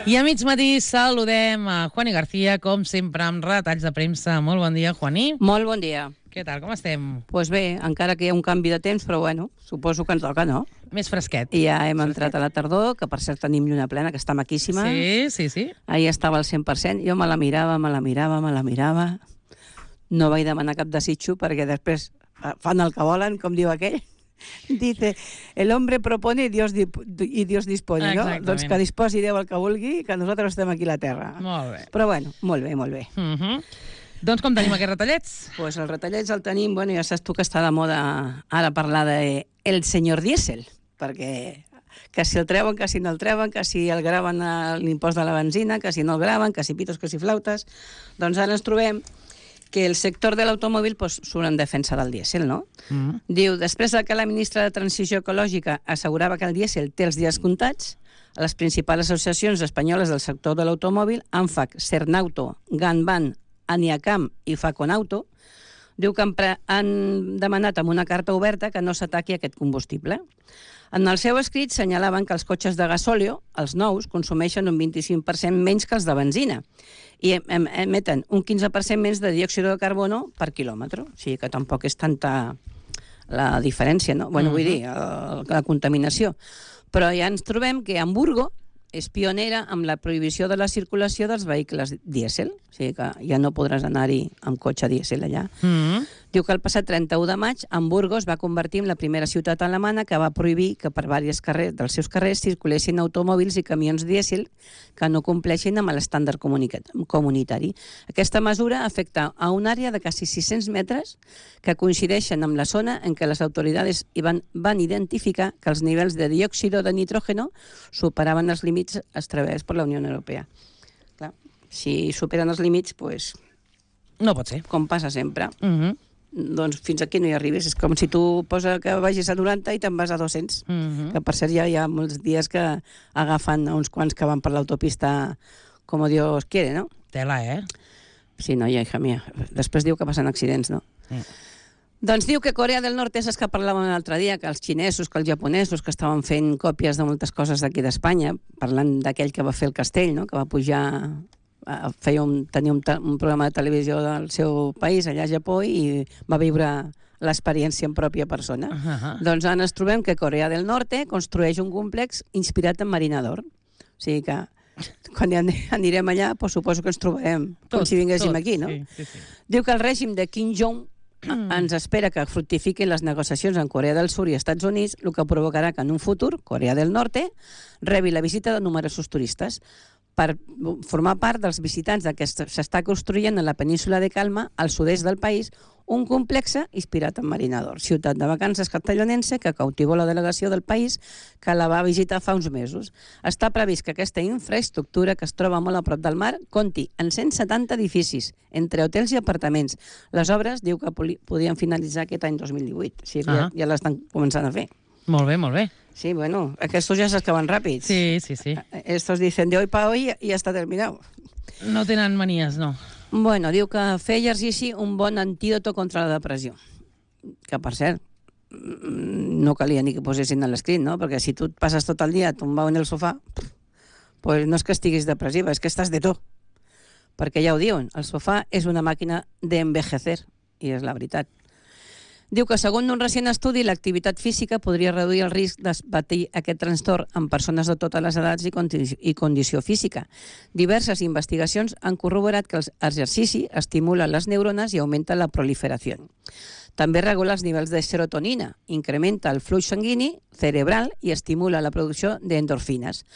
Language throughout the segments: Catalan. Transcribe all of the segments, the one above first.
I a mig matí saludem a Juani García, com sempre, amb retalls de premsa. Molt bon dia, Juani. Molt bon dia. Què tal, com estem? Doncs bé, encara que hi ha un canvi de temps, però bueno, suposo que ens toca, no? Més fresquet. I ja hem entrat a la tardor, que per cert tenim lluna plena, que està maquíssima. Sí. Ahir estava al 100%, jo me la mirava. No vaig demanar cap desitjo, perquè després fan el que volen, com diu aquell. Dice, el hombre propone y Dios dispone, no? Exactament. Doncs que disposi Déu el que vulgui, que nosaltres estem aquí a la Terra. Molt bé. Però bueno, molt bé. Doncs com tenim aquests retallets? Pues els retallets el tenim, bueno, ja saps tu que està de moda ara parlar de el senyor dièsel, perquè que si el treuen, que si no el treuen, que si el graven a l'impost de la benzina, que si no el graven, que si pitos, que si flautes. Doncs ara ens trobem que el sector de l'automòbil surt en defensa del dièsel, no? Diu, després que la ministra de Transició Ecològica assegurava que el dièsel té els dies comptats, les principals associacions espanyoles del sector de l'automòbil, ANFAC, Cernauto, Ganban, Aniacam i Faconauto, diu que han demanat amb una carta oberta que no s'ataqui aquest combustible. En el seu escrit senyalaven que els cotxes de gasòleo, els nous, consumeixen un 25% menys que els de benzina i emeten un 15% menys de diòxid de carbono per quilòmetre. O sigui que tampoc és tanta la diferència, no? Bueno, vull dir, la contaminació. Però ja ens trobem que Hamburgo és pionera amb la prohibició de la circulació dels vehicles dièsel. O sigui que ja no podràs anar-hi amb cotxe dièsel allà. Diu que el passat 31 de maig, Hamburgo es va convertir en la primera ciutat alemana que va prohibir que per diversos carrers dels seus carrers circulessin automòbils i camions dièsel que no compleixin amb l'estàndard comunitari. Aquesta mesura afecta a una àrea de quasi 600 metres que coincideixen amb la zona en què les autoritats van identificar que els nivells de diòxid de nitrógeno superaven els límits establerts per la Unió Europea. Clar, si superen els límits, doncs... No pot ser. Com passa sempre. Doncs fins aquí no hi arribes. És com si tu posa que vagis a 90 i te'n vas a 200. Que per cert ja hi ha molts dies que agafen uns quants que van per l'autopista com Dios quiere, no? Tela, Sí, no, hija mía. Després diu que passen accidents, no? Doncs diu que Corea del Nord és els que parlàvem l'altre dia, que els xinesos, que els japonesos, que estaven fent còpies de moltes coses d'aquí d'Espanya, parlant d'aquell que va fer el castell, no? Que va pujar... tenia un programa de televisió del seu país, allà a Japó, i va viure l'experiència en pròpia persona. Doncs ara ens trobem que Corea del Nord construeix un complex inspirat en Marina d'Or. O sigui que quan anirem allà, suposo que ens trobarem com si vinguéssim aquí, no? Sí. Diu que el règim de Kim Jong ens espera que fructifiquin les negociacions en Corea del Sud i Estats Units, el que provocarà que en un futur Corea del Nord rebi la visita de numerosos turistes per formar part dels visitants que s'està construint a la península de Calma, al sud-est del país, un complex inspirat en Marina d'Or, ciutat de vacances castellonense que cautivó la delegació del país que la va visitar fa uns mesos. Està previst que aquesta infraestructura, que es troba molt a prop del mar, compti en 170 edificis, entre hotels i apartaments. Les obres diu que podien finalitzar aquest any 2018, o sigui que ja l'estan començant a fer. Molt bé. Sí, bueno, aquestos ja saps que van ràpids. Sí. Estos dicen de hoy para hoy y ya está terminado. No tenen manies, no. Bueno, diu que fer exercici un bon antídoto contra la depressió. Que, per cert, no calia ni que posessin a l'escrit, no? Perquè si tu et passes tot el dia tombat en el sofà, pues no és que estiguis depressiva, és que estàs de tot. Perquè ja ho diuen, el sofà és una màquina d'envejecer, i és la veritat. Diu que, segons un recent estudi, l'activitat física podria reduir el risc de patir aquest trastorn en persones de totes les edats i condició física. Diverses investigacions han corroborat que l'exercici estimula les neurones i augmenta la proliferació. També regula els nivells de serotonina, incrementa el flux sanguini cerebral i estimula la producció d'endorfines.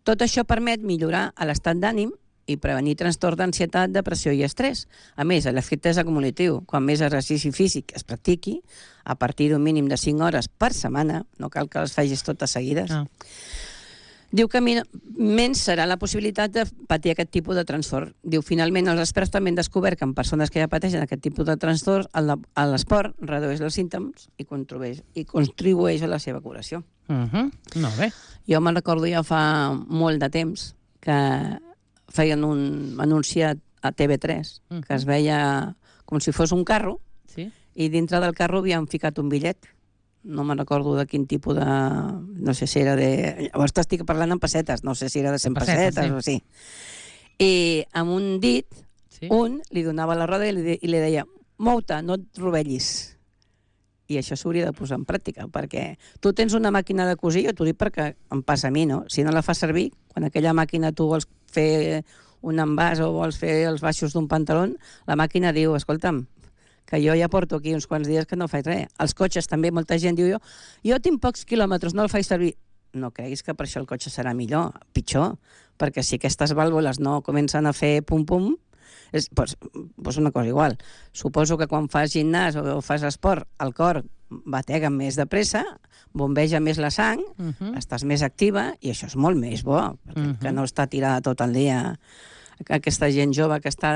Tot això permet millorar l'estat d'ànim i prevenir trastorn d'ansietat, depressió i estrès. A més, l'efecte és acumulatiu. Quan més exercici físic es practiqui, a partir d'un mínim de 5 hores per setmana, no cal que les facis totes seguides, diu que menys serà la possibilitat de patir aquest tipus de trastorn. Diu, finalment, els experts també han descobert que en persones que ja pateixen aquest tipus de trastorn, l'esport redueix els símptomes i contribueix a la seva curació. Molt bé. Jo me'n recordo ja fa molt de temps que feien un anunci a TV3 que es veia com si fos un carro i dintre del carro havien ficat un bitllet no me'n recordo de quin tipus de... No sé si era de... Llavors t'estic parlant en pessetes, no sé si era de 100 pessetes o sí. I amb un dit, un li donava la roda i li deia mou-te, no et rovellis. I això s'hauria de posar en pràctica, perquè tu tens una màquina de cosir, jo t'ho dic perquè em passa a mi, no? Si no la fas servir, quan aquella màquina tu vols fer un envàs o vols fer els baixos d'un pantaló, la màquina diu, escolta'm, que jo ja porto aquí uns quants dies que no faig res. Els cotxes també, molta gent diu, jo tinc pocs quilòmetres, no el faig servir. No creguis que per això el cotxe serà millor, pitjor, perquè si aquestes vàlvules no comencen a fer pum-pum, pues una cosa igual. Suposo que quan fas gimnàs o fas esport, el cor batega més de pressa, bombeja més la sang, estàs més activa i això és molt més bo, perquè que no està tirada tot el dia. Aquesta gent jove que està...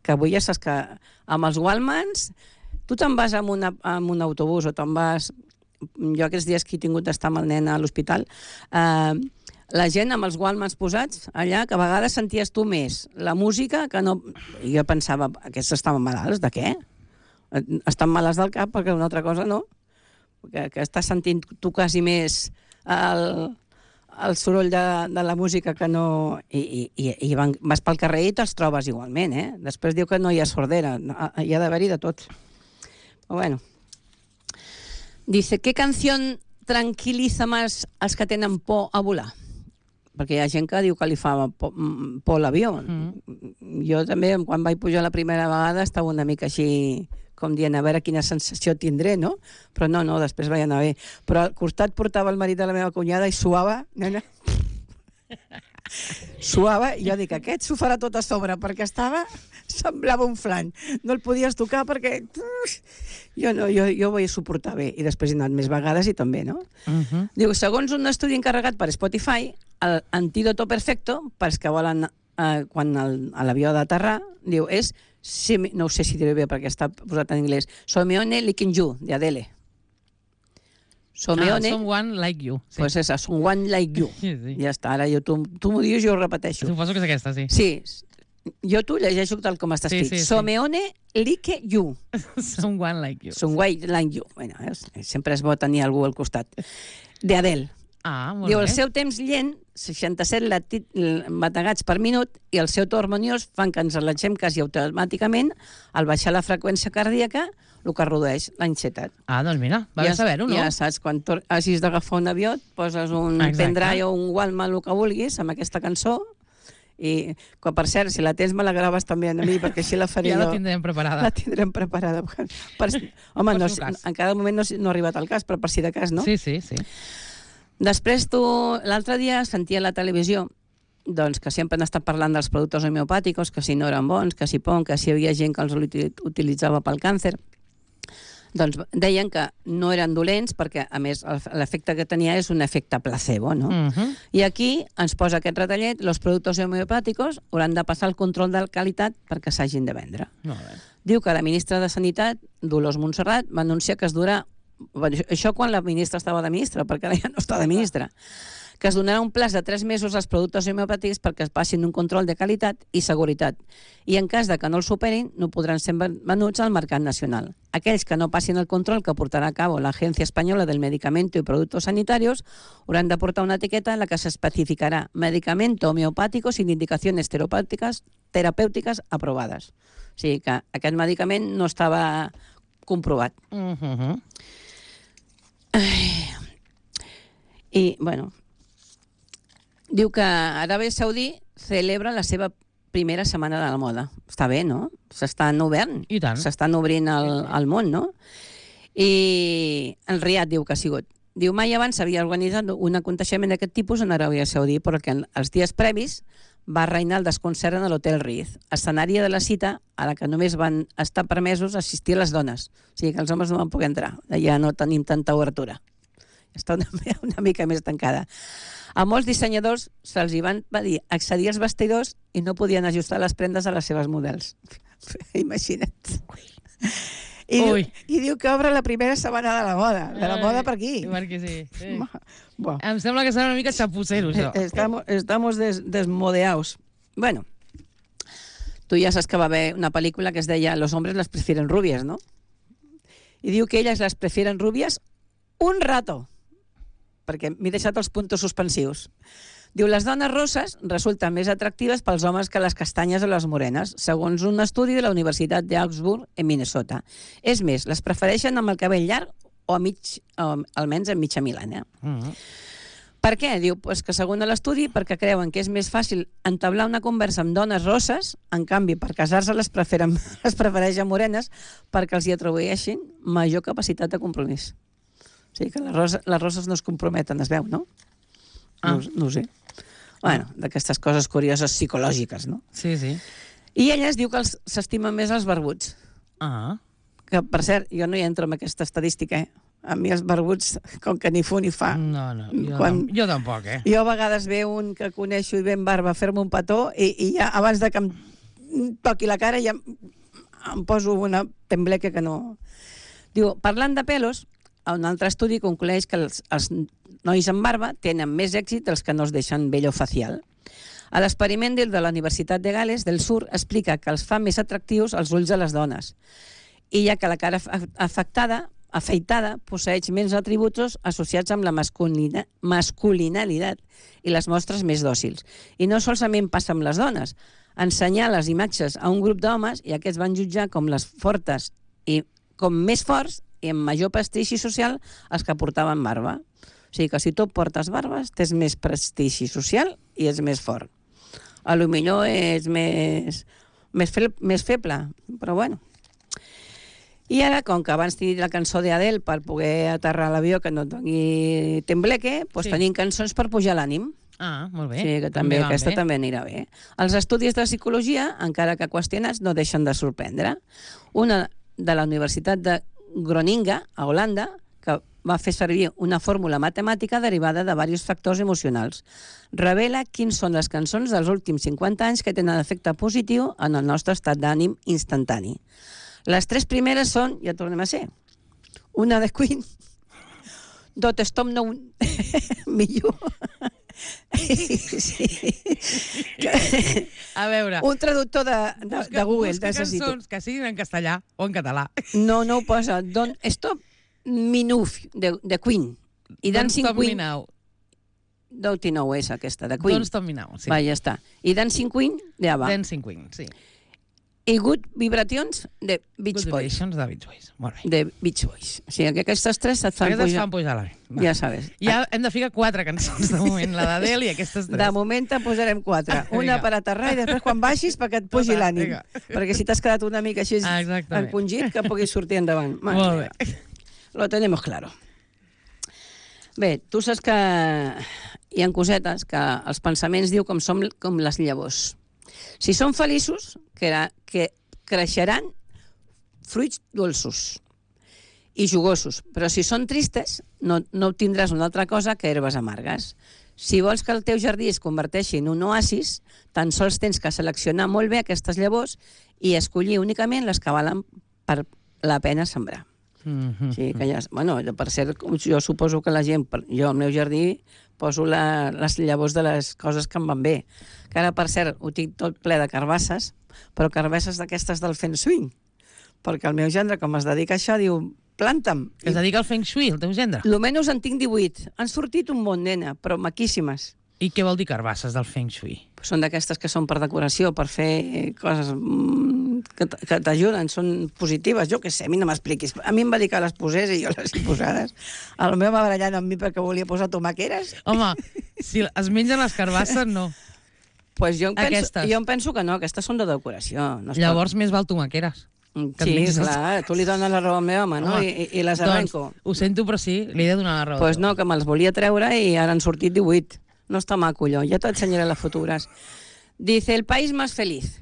que avui ja saps que amb els Walmans tu te'n vas amb un autobús o te'n vas... Jo aquests dies que he tingut d'estar amb el nen a l'hospital, la gent amb els Walmans posats allà, que a vegades senties tu més la música que no... I jo pensava, aquests estaven malalts, de què? Estan malalts del cap perquè una altra cosa no. Que estàs sentint tu quasi més el soroll de la música que no... I vas pel carrer i te'ls trobes igualment, eh? Després diu que no hi ha sordera, hi ha d'haver-hi de tot. Però bueno. Dice, ¿qué canción tranquiliza más als que tenen por a volar? Perquè hi ha gent que diu que li fa por l'avió. Jo també, quan vaig pujar la primera vegada, estava una mica així, com dient, a veure quina sensació tindré, no? Però no, després vaig anar bé. Però al costat portava el marit de la meva cunyada i suava, nena. Suava, i jo dic, aquest s'ho farà tot a sobre, perquè semblava un flan. No el podies tocar perquè... Jo ho vaig suportar bé, i després he anat més vegades i també, no? Diu, segons un estudi encarregat per Spotify, l'antídoto perfecto, pels que volen, quan l'avió ha d'aterrar, diu, és, no ho sé si diré bé perquè està posat en anglès, Someone Licking You, de Adele. Someone Like You. Sí. Pues esa, Someone Like You. Sí. Ja està, ara tu m'ho dius i ho repeteixo. Suposo que és aquesta, sí. Sí, jo t'ho llegeixo tal com està escrit. Someone Like You. Someone Like You. Someone Like You. Bueno, sempre és bo tenir algú al costat. De Adele. Molt diu, bé. el seu temps lent, 67 bategats per minut, i el seu to harmoniós fan que ens relaxem quasi automàticament al baixar la freqüència cardíaca, el que redueix l'ansietat. Doncs mira, va bé saber-ho, no? Ja saps, quan hagis d'agafar un avió, et poses un pendrive o un Walkman, el que vulguis, amb aquesta cançó, i, per cert, si la tens me la graves també a mi, perquè així la faré jo. Ja la tindrem preparada. La tindrem preparada. Home, en cada moment no ha arribat el cas, però per si de cas, no? Sí. Després l'altre dia sentia a la televisió doncs, que sempre han estat parlant dels productes homeopàtics, que si no eren bons, que si que si hi havia gent que els utilitzava pel càncer. Doncs deien que no eren dolents perquè, a més, l'efecte que tenia és un efecte placebo, no? I aquí ens posa aquest retallet, els productes homeopàtics hauran de passar el control de qualitat perquè s'hagin de vendre. Diu que la ministra de Sanitat, Dolors Montserrat, va anunciar que es durà... Això quan la ministra estava de ministra, perquè ara ja no està de ministra. Que es donarà un plaç de 3 mesos als productes homeopàtics perquè es passin un control de qualitat i seguretat. I en cas de que no el superin, no podran ser venuts al mercat nacional. Aquells que no passin el control que portarà a cabo l'Agència Espanyola del Medicamento y Productos Sanitarios hauran de portar una etiqueta en la que s'especificarà medicamento homeopàtico sin indicaciones terapèutiques aprovades. O sigui que aquest medicament no estava comprovat. I, bueno, diu que Aràbia Saudí celebra la seva primera setmana de la moda. Està bé, no? S'estan obrint. I tant. S'estan obrint al món, no? I el Riad diu que ha sigut. Diu, mai abans s'havia organitzat un aconteixement d'aquest tipus en Aràbia Saudí, perquè els dies previs va reinar el desconcert en l'Hotel Riz, escenari de la cita a la que només van estar permesos assistir les dones. O sigui que els homes no van poder entrar. Ja no tenim tanta obertura. Està una mica més tancada. A molts dissenyadors se'ls van dir accedir als vestidors i no podien ajustar les prendes a les seves models. Imagina't. I diu que obre la primera setmana de la moda. De la moda per aquí. Perquè sí. Em sembla que serà una mica xapucero, això. Estamos desmodeados. Bueno, tu ja saps que va haver una pel·lícula que es deia Los hombres las prefieren rubias, no? I diu que elles les prefieren rubies un rato, perquè m'he deixat els puntos suspensius. Diu, les dones rosses resulten més atractives pels homes que les castanyes o les morenes, segons un estudi de la Universitat d'Augsburg, en Minnesota. És més, les prefereixen amb el cabell llarg o almenys en mitja milanya. Per què? Diu pues que segons l'estudi, perquè creuen que és més fàcil entablar una conversa amb dones rosses, en canvi, per casar-se les prefereixen morenes perquè els hi atribueixin major capacitat de compromís. O sigui que les roses no es comprometen, es veu, no? No ho sé. Bueno, d'aquestes coses curioses psicològiques, no? Sí. I elles diu que s'estimen més els barbuts. Que, per cert, jo no hi entro en aquesta estadística, A mi els barbuts, com que ni fu ni fa. No, jo tampoc, Jo a vegades ve un que coneixo i ve amb barba a fer-me un petó i ja abans de que em toqui la cara ja em poso una tembleca que no... Diu, parlant de pelos, un altre estudi conclueix que els nois amb barba tenen més èxit els que no es deixen vello facial. A l'experiment de la Universitat de Gales del Sur explica que els fa més atractius els ulls de les dones, i ja que la cara afeitada posseeix menys atributs associats amb la masculinalitat i les mostres més dòcils. I no solament passa amb les dones. Ensenyar les imatges a un grup d'homes i aquests van jutjar com les fortes i com més forts i amb major prestigi social els que portaven barba. O sigui que si tu portes barbes tens més prestigi social i ets més fort. A lo millor és més feble, però bueno. I ara, com que abans tenia la cançó d'Adele per poder aterrar l'avió que no et doni tembleque, doncs tenim cançons per pujar l'ànim. Molt bé. Sí, que també aquesta també anirà bé. Els estudis de psicologia, encara que qüestionats, no deixen de sorprendre. Una de la Universitat de Groningen, a Holanda, que va fer servir una fórmula matemàtica derivada de diversos factors emocionals. Revela quins són les cançons dels últims 50 anys que tenen efecte positiu en el nostre estat d'ànim instantani. Les 3 primeres són, ja tornem a ser, una de Queen, Don't Stop Now Me You. A veure... Un traductor de Google, necessito. Cançons que siguin en castellà o en català. No ho posa. Don't Stop Me Now, de Queen. I Dancing Queen... Don't Know és aquesta, de Queen. Don't Stop Me Now, sí. Va, ja està. I Dancing Queen, de ABBA. Dancing Queen, sí. I Good Vibrations, de Beach Boys. Good Vibrations, de Beach Boys, molt bé. De Beach Boys. O sigui que aquestes 3 et fan pujar. Aquestes fan pujar l'ànim. Ja sabes. Ja hem de ficar 4 cançons de moment, la d'Adele i aquestes 3. De moment te'n posarem 4. Una per aterrar i després quan baixis perquè et pugi l'ànim. Perquè si t'has quedat una mica així encongit, que puguis sortir endavant. Molt bé. Lo tenemos claro. Bé, tu saps que hi ha cosetes que els pensaments diu com som com les llavors. Si són feliços, que creixeran fruits dolços i jugosos, però si són tristes, no obtindràs una altra cosa que herbes amargues. Si vols que el teu jardí es converteixi en un oasis, tan sols tens que seleccionar molt bé aquestes llavors i escollir únicament les que valen per la pena sembrar. Sí, que ja, bueno, per cert, jo suposo que la gent, jo al meu jardí poso les llavors de les coses que em van bé, que ara per cert ho tinc tot ple de carbasses, però carbasses d'aquestes del Feng Shui, perquè el meu gendre, com es dedica a això, diu, planta'm. Es dedica al Feng Shui, el teu gendre? Almenys en tinc 18, han sortit un bon, nena, però maquíssimes. I què vol dir carbasses del Feng Shui? Són d'aquestes que són per decoració, per fer coses que t'ajuden, són positives. Jo què sé, a mi no m'expliquis. A mi em va dir que les posés i jo les he posades. El meu va barallant amb mi perquè volia posar tomaqueres. Home, si es mengen les carbasses, no. Pues jo em penso que no, aquestes són de decoració. Llavors més val tomaqueres. Sí, clar, tu li dones la raó al meu home, no? I les arrenco. Ho sento, però sí, li he de donar la raó. Pues no, que me'ls volia treure i ara han sortit 18. No está maco yo, ya te enseñaré las futuras. Dice, el país más feliz.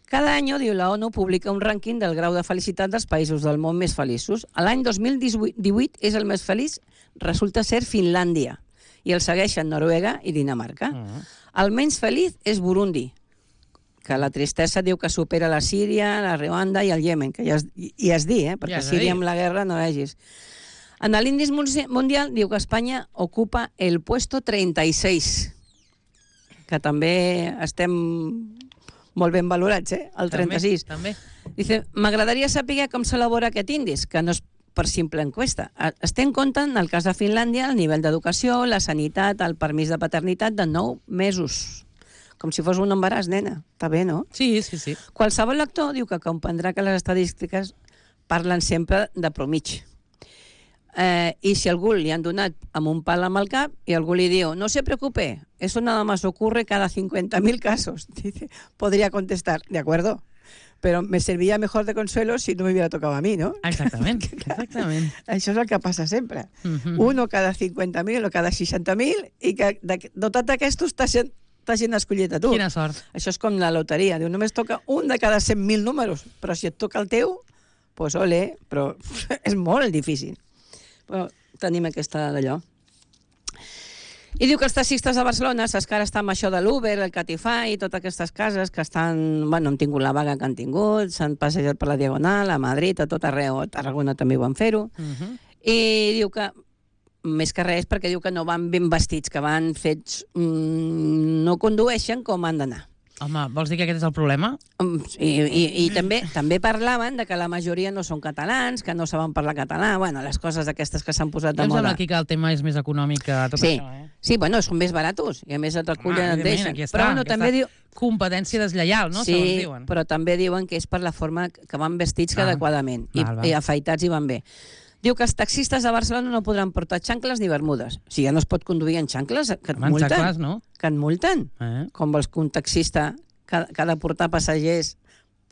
Cada año, diu, la ONU publica un rànquing del grau de felicitat dels països del món més feliços. L'any 2018 és el més feliç, resulta ser Finlàndia, i el segueixen Noruega i Dinamarca. El menys feliç és Burundi, que la tristesa diu que supera la Síria, la Ruanda i el Iemen, que ja es di, perquè Síria amb la guerra no vegis. En l'índex mundial diu que Espanya ocupa el puesto 36, que també estem molt ben valorats, el 36. També. Dice, m'agradaria saber com s'elabora aquest índex, que no és per simple enquesta. Es té en compte, en el cas de Finlàndia, el nivell d'educació, la sanitat, el permís de paternitat de 9 mesos. Com si fos un embaràs, nena. Està bé, no? Sí, sí, sí. Qualsevol lector diu que comprendrà que les estadístiques parlen sempre de promig. I si algú li han donat amb un pal amb el cap y algú li diu, no se preocupe, eso nada más ocurre cada 50.000 casos. Dice, podría contestar, de acuerdo, pero me serviría mejor de consuelo si no me hubiera tocado a mí, ¿no? Exactament, exactament. Això és el que passa sempre. Uno cada 50.000 o cada 60.000 i que de tots aquests t'hagin escollit a tu. Quina sort. Això és com la loteria. Diu, només toca un de cada 100.000 números, però si et toca el teu, pues ole, però és molt difícil. Però tenim aquesta d'allò. I diu que els taxistes de Barcelona, saps que ara està amb això de l'Uber, el Catify i totes aquestes cases que estan, bueno, han tingut la vaga que han tingut, s'han passejat per la Diagonal, a Madrid, a tot arreu, a Tarragona també ho van fer-ho, i diu que, més que res, perquè diu que no van ben vestits, que van fets, no condueixen com han d'anar. Home, vols dir que aquest és el problema? I també parlaven de que la majoria no són catalans, que no saben parlar català, bueno, les coses aquestes que s'han posat de Em moda. sembla aquí que el tema és més econòmic que tot Sí, això, sí, bueno, són més baratos, i a més et recullen, et deixen. Aquí està, Però bueno, també diu... competència deslleial, no? Sí, segons diuen. però també diuen que és per la forma que van vestits adequadament, i afaitats i van bé. Diu que els taxistes de Barcelona no podran portar xancles ni bermudes. Si ja no es pot conduir en xancles, que et multen. Xancles, no? Que et multen. Com vols que un taxista que ha de portar passatgers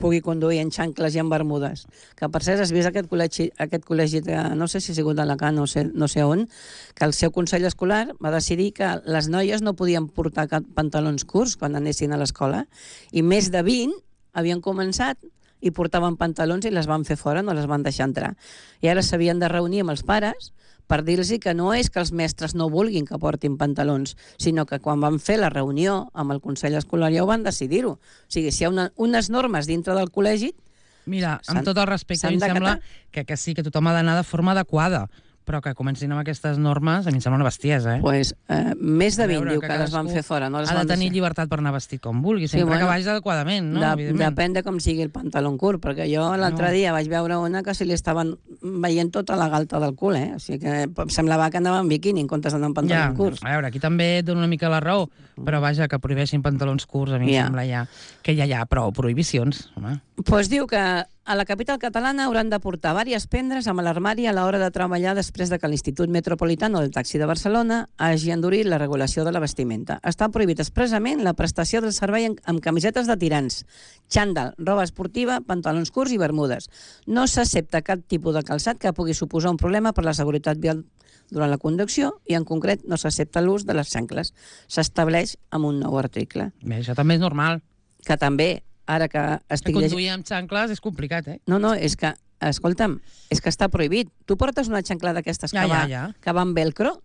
pugui conduir en xancles i en bermudes? Que per cert has vist aquest col·legi de, no sé si ha sigut d'Alacant, no sé on, que el seu consell escolar va decidir que les noies no podien portar pantalons curts quan anessin a l'escola, i més de 20 havien començat i portaven pantalons i les van fer fora, no les van deixar entrar. I ara s'havien de reunir amb els pares per dir-los que no és que els mestres no vulguin que portin pantalons, sinó que quan van fer la reunió amb el Consell Escolar ja ho van decidir-ho. O sigui, si hi ha unes normes dintre del col·legi... Mira, amb tot el respecte, a mi em sembla que sí, que tothom ha d'anar de forma adequada, però que comencin amb aquestes normes, a mi em sembla una bestiesa, eh? Pues, més de 20 diu que les van fer fora. No les ha de van tenir deixar. llibertat per anar vestit com vulgui, sempre que vagis adequadament, no? Depèn de com sigui el pantaló curt, perquè jo l'altre dia vaig veure una que se li estaven veient tota la galta del cul, eh? O sigui que em semblava que anava en biquini en comptes d'anar en pantalons curts. A veure, aquí també et dono una mica la raó, però vaja, que prohibeixin pantalons curts, a mi em sembla ja que ja hi ha prou prohibicions, home. Pues diu que a la capital catalana hauran de portar diverses pendres amb l'armari a l'hora de treballar després de que l'Institut Metropolitano del Taxi de Barcelona hagi endurit la regulació de la vestimenta. Està prohibit expressament la prestació del servei amb camisetes de tirants, xandall, roba esportiva, pantalons curts i bermudes. No s'accepta cap tipus de calçat que pugui suposar un problema per la seguretat vial durant la conducció, i en concret no s'accepta l'ús de les xancles. S'estableix amb un nou article. Bé, això també és normal. Que també, ara que estic... Que conduir amb xancles és complicat, eh? No, és que, escolta'm, és que està prohibit. Tu portes una xancla d'aquestes que va amb velcro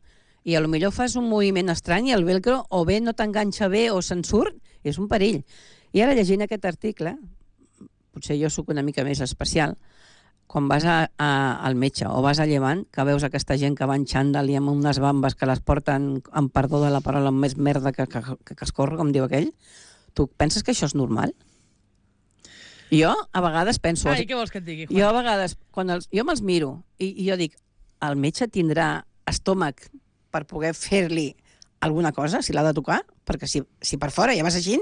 i potser fas un moviment estrany i el velcro o bé no t'enganxa bé o se'n surt, és un perill. I ara llegint aquest article, potser jo sóc una mica més especial, quan vas al metge o vas a Llevant, que veus aquesta gent que va en xandall i amb unes bambes que les porten, amb perdó de la paraula, amb més merda que escorre, com diu aquell, tu penses que això és normal? Jo a vegades penso... Ai, què vols que et digui, Juan? Jo a vegades, jo me'ls miro i jo dic, el metge tindrà estómac per poder fer-li alguna cosa, si l'ha de tocar? Perquè si per fora ja vas així,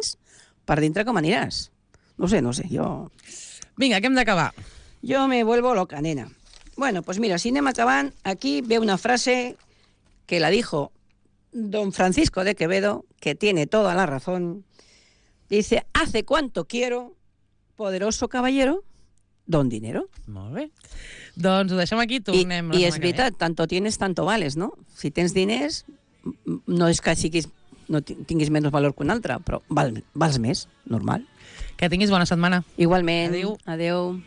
per dintre com aniràs? No sé, jo... Vinga, que hem d'acabar. Yo me vuelvo loca, nena. Bueno, pues mira, si anem acabant, aquí ve una frase que la dijo don Francisco de Quevedo, que tiene toda la razón. Dice, hace cuanto quiero, poderoso caballero, don dinero. Molt bé. Doncs ho deixem aquí, tornem. I és veritat, tanto tienes, tanto vales, no? Si tens diners, no és que no tinguis menys valor que un altre, però vals més, normal. Que tinguis bona setmana. Igualment. Adéu. Adéu.